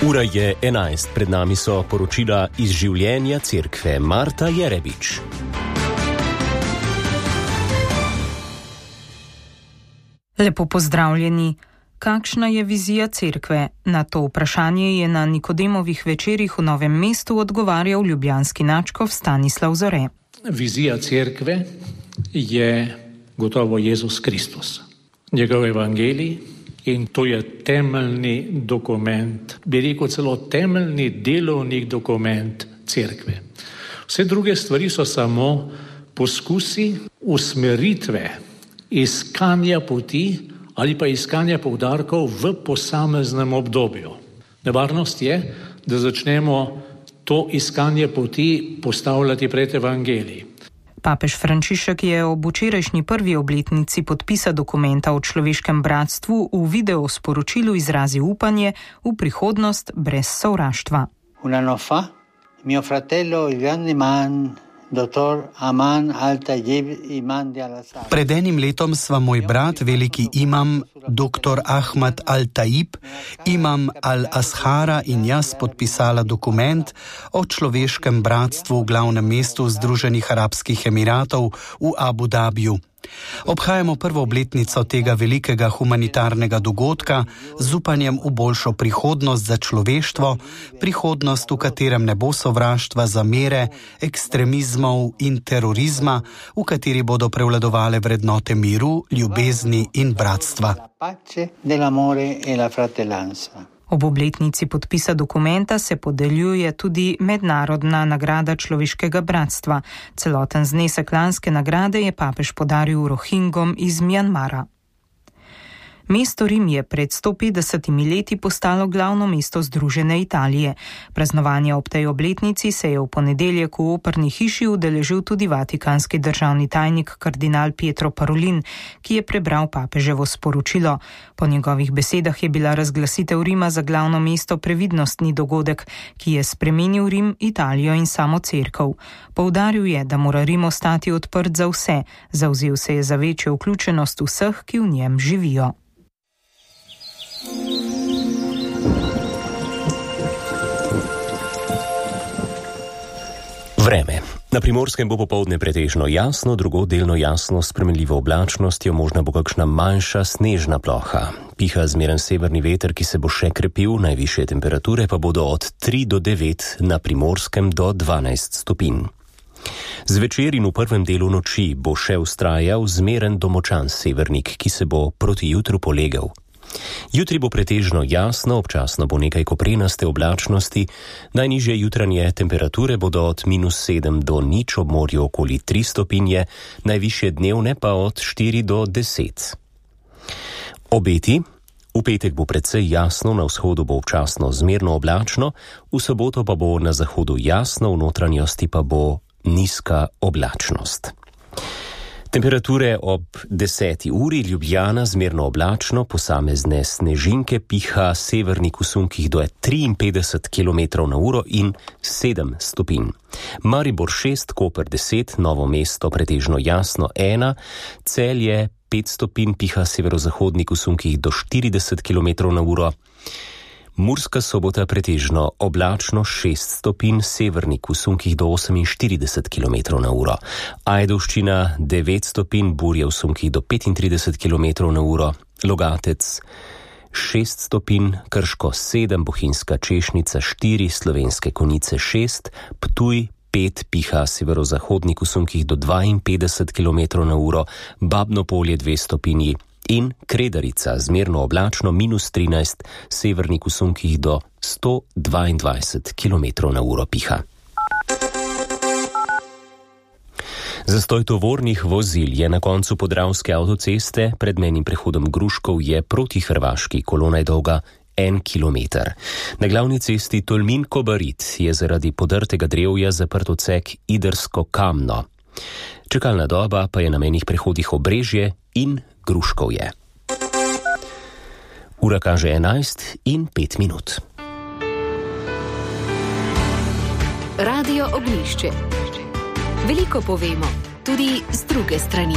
Ura je 11, pred nami so poročila iz življenja cerkve. Marta Jerebič. Lepo pozdravljeni. Kakšna je vizija cerkve? Na to vprašanje je na Nikodemovih večerih v Novem mestu odgovarjal ljubljanski nadškof Stanislav Zore. Vizija cerkve je gotovo Jezus Kristus, njegov evangelij, in to je temeljni dokument, bi rekel celo temeljni delovni dokument cerkve. Vse druge stvari so samo poskusi usmeritve, iskanja poti ali pa iskanja poudarkov v posameznem obdobju. Nevarnost je, da začnemo to iskanje poti postavljati pred evangelij. Papež Frančišek je ob včerajšnji prvi obletnici podpisa dokumenta o človeškem bratstvu v video sporočilu izrazil upanje v prihodnost brez sovraštva. Un anno fa, mio fratello Ivan Iman, dottor Aman al-Tayyib Imam di al-Azhar. Pred enim letom sva moj brat, veliki imam dr. Ahmad al-Tayyib, imam al-Azhara in jaz podpisala dokument o človeškem bratstvu v glavnem mestu Združenih arabskih emiratov v Abu Dabiju. Obhajamo prvo obletnico tega velikega humanitarnega dogodka z upanjem v boljšo prihodnost za človeštvo, prihodnost, v katerem ne bo sovraštva, zamere, ekstremizmov in terorizma, v kateri bodo prevladovale vrednote miru, ljubezni in bratstva. Ob obletnici podpisa dokumenta se podeljuje tudi mednarodna nagrada človeškega bratstva. Celoten znesek lanske nagrade je papež podaril Rohingom iz Mjanmara. Mesto Rim je pred 150 leti postalo glavno mesto Združene Italije. Praznovanja ob tej obletnici se je v ponedeljek v operni hiši udeležil tudi vatikanski državni tajnik kardinal Pietro Parolin, ki je prebral papeževo sporočilo. Po njegovih besedah je bila razglasitev Rima za glavno mesto previdnostni dogodek, ki je spremenil Rim, Italijo in samo cerkev. Poudaril je, da mora Rim ostati odprt za vse, zavzel se je za večjo vključenost vseh, ki v njem živijo. Vreme. Na Primorskem bo popoldne pretežno jasno, drugod delno jasno, s spremenljivo oblačnostjo, možna bo kakšna manjša snežna ploha. Piha zmeren severni veter, ki se bo še krepil, najvišje temperature pa bodo od 3 do 9, na Primorskem do 12 stopinj. Zvečer in v prvem delu noči bo še vztrajal zmeren do močan severnik, ki se bo proti jutru polegel. Jutri bo pretežno jasno, občasno bo nekaj koprenaste oblačnosti, najnižje jutranje temperature bodo od -7 do 0, ob morju okoli 3 stopinje, najvišje dnevne pa od 4 do 10. Obeti. V petek bo precej jasno, na vzhodu bo občasno zmerno oblačno, v soboto pa bo na zahodu jasno, v notranjosti pa bo nizka oblačnost. Temperature ob 10. uri, Ljubljana zmerno oblačno, posamezne snežinke, piha severnik v sunkih do 53 km/h in 7 stopinj. Maribor 6, Koper 10, Novo mesto pretežno jasno 1, Celje 5 stopinj, piha severozahodnik v sunkih do 40 km/h. Murska Sobota pretežno oblačno 6 stopinj, severnik v sunkih do 48 km/h. Ajdovščina 9 stopinj, burje v sunkih do 35 km/h. Logatec 6 stopinj, Krško 7, Bohinjska Češnica 4, Slovenske Konjice 6, Ptuj 5, piha severozahodnik v sunkih do 52 km/h, Babno Polje 2 stopinji, in Kredarica zmerno oblačno -13, severnik v sunkih do 122 km/h piha. Zastoj tovornih vozil je na koncu Podravske avtoceste, pred mejnim prehodom Gruškov je proti Hrvaški, kolona je dolga 1 kilometer. Na glavni cesti Tolmin-Kobarid je zaradi podrtega drevja zaprt odsek Idrsko-Kamno. Čakalna doba pa je na mejnih prehodih Obrežje in Gruškovje. Ura kaže 11:05. Radio Ognjišče. Veliko povemo, tudi z druge strani.